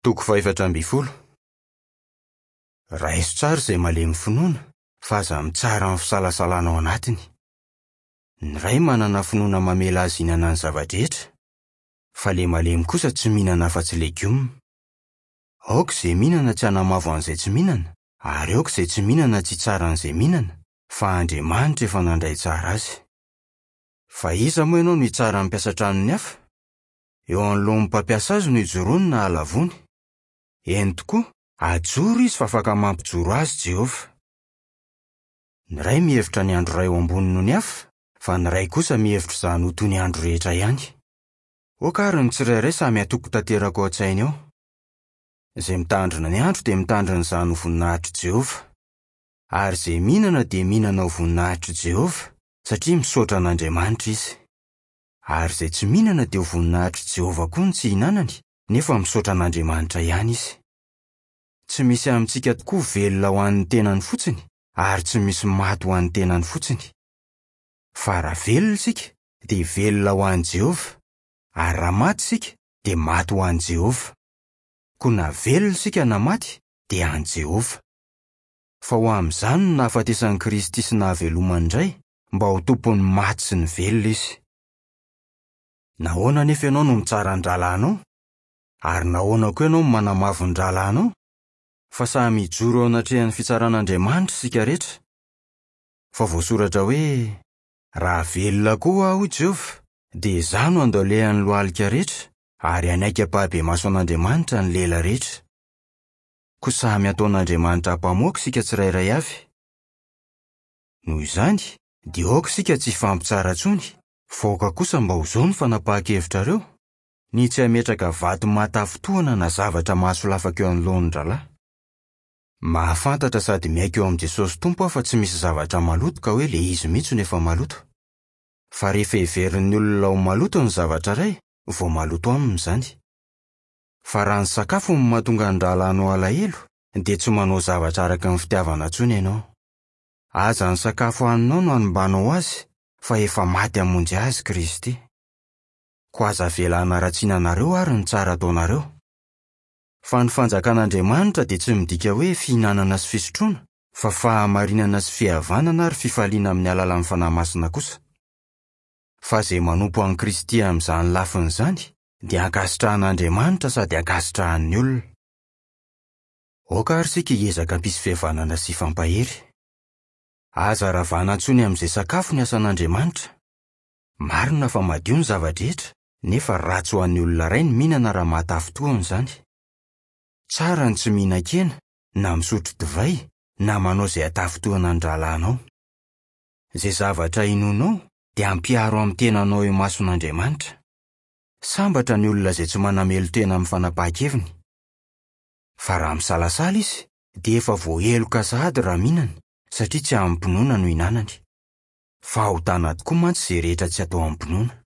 Toko fahefatra ambin'ny folo. Raiso tsara izay malemy finoana, fa aza mitsara amin'ny fisalasalana ao anatiny. Ny iray manana finoana mamela azy hihinana ny zava-drehetra, fa ilay malemy kosa tsy mihinana afa-tsy legioma. Aoka izay mihinana tsy hanamavo an'izay tsy mihinana, ary aoka izay tsy mihinana tsy hitsara an'izay mihinana, fa Andriamanitra efa nandray tsara azy. Fa iza moa ianao no hitsara ny mpiasa tranon'ny hafa? Eo anoloan'ny mpampiasa azy no ijoroany na ahalavoany. Eny tokoa, ajoro izy fa afaka mampijoro azy Jehovah. Ny iray mihevitra ny andro iray ho ambony noho ny hafa, fa ny iray kosa mihevitra izany ho toy ny andro rehetra ihany. Aoka àry ny tsirairay samy hatoky tanteraka ao an-tsainy ao. Izay mitandrina ny andro dia mitandrina izany ho voninahitr'i Jehovah. Ary izay mihinana dia mihinana ho voninahitr'i Jehovah, satria misaotra an'Andriamanitra izy. Ary izay tsy mihinana dia ho voninahitr'i Jehovah koa ny tsy ihinanany, nefa misaotra an'Andriamanitra ihany izy. Tsy misy amintsika tokoa velona ho an'ny tenany fotsiny, ary tsy misy maty ho an'ny tenany fotsiny. Fa raha velona isika, dia velona ho an'i Jehovah, ary raha maty isika, dia maty ho an'i Jehovah. Koa na velona isika na maty, dia an'i Jehovah. Fa ho amin'izany no nahafatesan'i Kristy sy nahavelomany indray, mba ho tompon'ny maty sy ny velona izy. Nahoana anefa ianao no mitsara ny rahalahinao? Ary nahoana koa ianao no manamavo ny rahalahinao? Fa samy hijoro eo anatrehan'ny fitsaran'Andriamanitra isika rehetra. Fa voasoratra hoe, Raha velona koa aho, hoy Jehovah, dia izaho no handao-lehan'ny lohalika rehetra, ary hanaiky ampahibemaso an'Andriamanitra ny lela rehetra. Koa samy hataon'Andriamanitra ampamoaka isika tsirairay avy. Noho izany, dia aoka isika tsy hifampitsara intsony, fa aoka kosa mba ho izao ny fanapahan-kevitrareo, ny tsy hametraka vato mahatafintohina na zavatra mahasolafaka eo anoloan'ny rahalahy. Mahafantatra sady miaiky eo amin'i Jesosy Tompo aho fa tsy misy zavatra maloto ka hoe le izy mihitsy no efa maloto. Fa rehefa heverin'ny olona ho maloto ny zavatra iray, vao maloto aminy izany. Fa raha ny sakafo no mahatonga ny rahalahinao halahelo, dia tsy manao zavatra araka ny fitiavana intsony ianao. Aza ny sakafo haninao no hanombanao azy, fa efa maty hamonjy azy Kristy. Koa aza avela hanaratsiana anareo àry ny tsara ataonareo. Fa ny fanjakan'Andriamanitra dia tsy midika hoe fihinanana sy fisotroana, fa fahamarinana sy fihavanana ary fifaliana amin'ny alalan'ny Fanahy Masina kosa. Fa izay manompo an'i Kristy amin'izany lafiny izany dia ankasitrahan'Andriamanitra sady ankasitrahan'ny olona. Aoka àry isika hiezaka hampisy fihavanana sy hifampahery. Aza ravana intsony amin'izay sakafo ny asan'Andriamanitra. Marina fa madio ny zava-drehetra, nefa ratsy ho an'ny olona iray ny mihinana raha mahatafintohina izany. Tsara ny tsy mihinan-kena, na misotro divay, na manao izay hatafintohina ny rahalahinao. Izay zavatra inoanao dia ampiharo amin'ny tenanao eo imason'Andriamanitra. Sambatra ny olona izay tsy manamelo-tena amin'ny fanapahan-keviny. Fa raha misalasala izy, dia efa voaheloka sahady raha mihinana, satria tsy amim-pinoana no ihinanany. Fahotana tokoa mantsy izay rehetra tsy atao amim-pinoana.